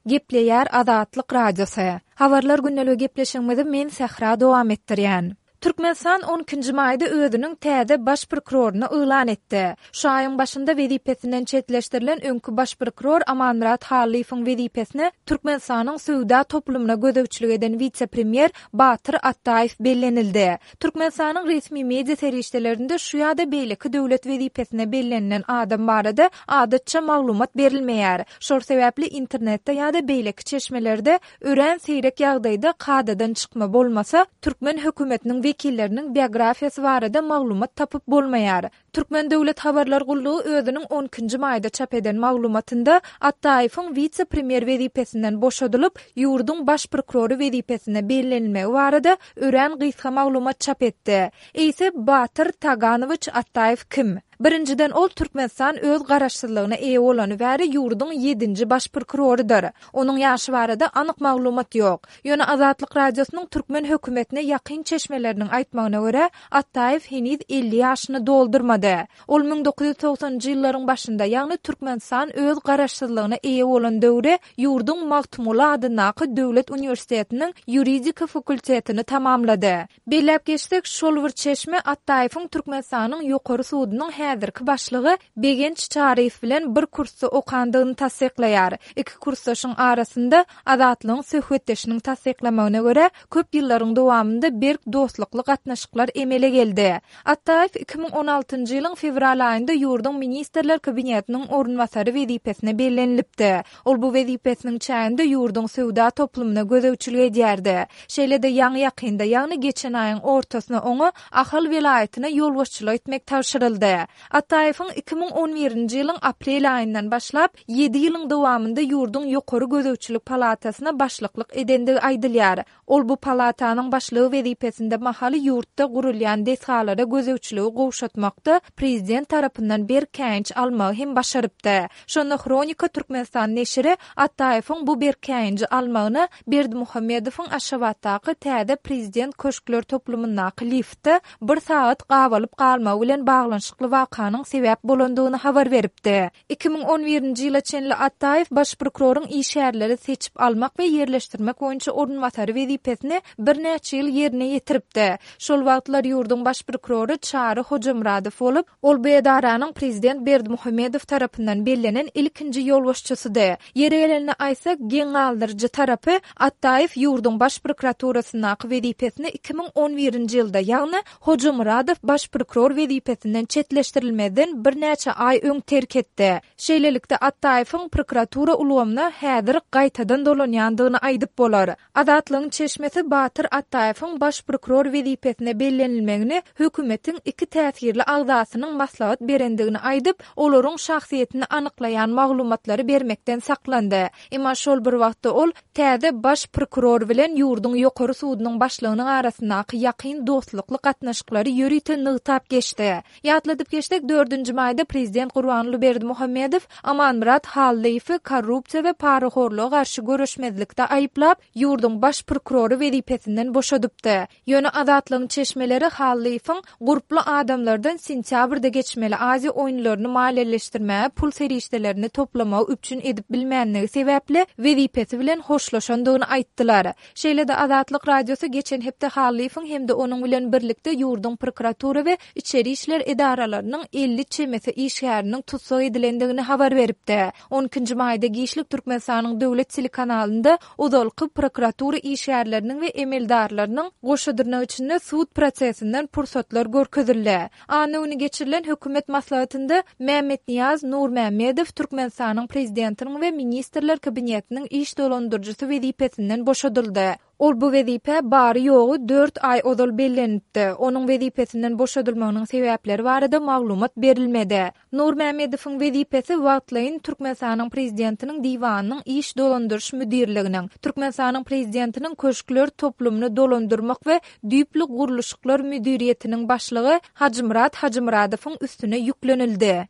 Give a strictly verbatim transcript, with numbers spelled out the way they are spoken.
Gepleýär Azatlyk Radiosy. Habarlar gündeligi gepleşigimizi men Sähra dowam etdirýän. Türkmenistan on ikinji maýda özüniň täze baş prokuroryny yglan etdi. Şu aýyň başynda wezipesinden çetleşdirilen öňki baş prokuror Amanmyrat Hallyýewiň wezipesine Türkmenistanyň söwda toplumyna gözegçilik eden wise-premýer Batyr Atdaýew bellenildi. Türkmenistanyň resmi media serişdelerinde şu ýa-da beýleki döwlet wezipesine bellenilen adam barada adatça maglumat berilmeýär. Şol sebäpli internetde ýa-da beýleki çeşmelerde örän seýrek ýagdaýda kadadan çykma bolmasa, türkmen hökümetiniň wekilleriniň biografiýasy barada maglumat tapyp bolmaýar. Türkmen döwlet habarlar gullugy özüniň on ikinji maýda çap eden maglumatynda Atdaýewiň wise-premýer wezipesinden boşadylyp, ýurduň baş prokurory wezipesine bellenilmegi barada örän gysga maglumat çap etdi. Eýse Batyr Taganowiç Atdaýew kim? Birinjiden ol Türkmenistan öz garaşsyzlygyna eýe bolany bäri ýurduň ýedinji baş prokurorydyr. Onuň ýaşy barada anyk maglumat ýok. Ýöne Azatlyk Radiosynyň türkmen hökümetine ýakyn çeşmeleriniň aýtmagyna görä, Atdaýew heniz elli ýaşyny doldurmady. Ol müň dokuz ýüz togsanynjy ýyllaryň başynda, ýagny Türkmenistan öz garaşsyzlygyna eýe bolan döwri ýurduň Magtymguly adyndaky Döwlet uniwersitetiniň ýuridika fakultetini tamamlady. Belläp geçsek, şol bir çeşme Atdaýewiň Türkmenistanyň Ýokary sudunyň häzirki başlygy Begenç Çaryýew bilen bir kursda okandygyny tassyklaýar. Iki kursdaşyň arasynda Azatlygyň söhbetdeşiniň tassyklamagyna görä, köp ýyllaryň dowamynda berk dostlukly gatnaşyklar emele geldi. Atdaýew iki müň on altynjy ýylyň fewral aýynda ýurduň Ministrler Kabinetiniň orunbasary wezipesine bellenilipdi. Ol bu wezipesiniň çäginde ýurduň söwda toplumyna gözegçilik edýärdi. Şeýle-de ýaňy ýakynda, ýagny geçen aýyň ortasyna oňa Ahal welaýatyna ýolbaşçylyk etmek tabşyryldy. Atdaýewiň iki müň on birinji ýylyň aprel aýyndan başlap, ýedi ýylyň dowamynda ýurduň ýokary gözegçilik palatasyna başlyklyk edendigi aýdylýar. Ol bu palatanyň başlygy wezipesinde mahaly ýurtda gurulýan desgalara gözegçiligi gowşatmakda prezident tarapyndan berk käýinç almagy hem başarypdy. Şonda Hronika Türkmenistan neşiri Atdaýewiň bu berk käýinji almagyna Berdimuhamedowyň Aşgabatdaky täze prezident köşkler toplumyndaky liftde bir sagat gabalyp galmagy bilen baglanyşykly wakanyň sebäp bolandygyny habar beripdi. iki müň on birinji ýyla çenli Atdaýew baş prokuroryň işgärleri seçip almak we ýerleşdirmek boýunça orunbasary wezipesini birnäçe ýyl ýerine ýetiripdi. Şol wagtlar ýurduň baş prokurory Çary Hojamyradow bolup, ol bu edaranyň prezident Berdimuhamedow tarapyndan bellenen ilkinji ýolbaşçysydy. Ýeri gelende aýtsak, geň galdyryjy tarapy Atdaýew ýurduň baş prokuraturasyndaky wezipesini iki müň on birinji ýylda, ýagny Hojamyradow baş prokuror wezipesinden çetleşdirilmezden birnäçe aý öň terk etdi. Şeýlelikde Atdaýewiň prokuratura ulgamyna häzir gaýtadan dolanýandygyny aýdyp bolar. Azatlygyň çeşmesi Batyr Atdaýewiň baş prokuror wezipesine bellenilmegini hökümetiň iki täsirli agzasynyň maslahat berendigini aýdyp, olaryň şahsyýetini anyklaýan maglumatlary bermekden saklandy. Emma şol bir wagtda ol täze baş prokuror bilen ýurduň ýokary sudunyň başlygynyň arasyndaky ýakyn dostlukly gatnaşyklary ýörite nygtap geçdi. Ýatladyp geçsek, dördünji maýda prezident Gurbanguly Berdimuhamedow Amanmyrat Hallyýewi korrupsiýa we parahorluga garşy göreşmezlikde aýyplap, ýurduň baş prokurory wezipesinden boşadypdy. Ýöne Azatlygyň çeşmeleri Hallyýewiň gurply adamlardan sentýabrda geçmeli Aziýa oýunlaryny maliýeleşdirmäge pul serişdelerini toplamagy üpjün edip bilmänligi sebäpli wezipesi bilen hoşlaşandygyny aýtdylar. Şeýle-de Azatlyk Radiosy geçen hepde Hallyýewiň hem-de onuň bilen birlikde ýurduň prokuratura we içeri işler edaralarynyň elli çemesi işgäriniň tussag edilendigini habar beripdi. on ikinji maýda giçlik Türkmenistanyň döwlet telekanalynda ozalky prokuratura işgärleriniň we emeldarlarynyň goşa dyrnak içinde sud prosesinden pursatlar görkezildi. Anna güni geçirilen hökümet maslahatynda Mämmetniýaz Nurmämmedow Türkmenistanyň prezidentiniň we ministrler kabinetiniň iş dolandyryjysy wezipesinden boşadyldy. Ol bu wezipe bary ýogy dört aý ozal bellenipdi. Onuň wezipesinden boşadylmagynyň sebäpleri barada maglumat berilmedi. Nurmämmedowyň wezipesi wagtlaýyn Türkmenistanyň prezidentiniň diwanynyň iş dolandyryş müdirliginiň, Türkmenistanyň prezidentiniň köşkler toplumyny dolandyrmak we düýpli gurluşyklar müdiriýetiniň başlygy Hajymyrat Hajymyradowyň üstüne ýüklenildi.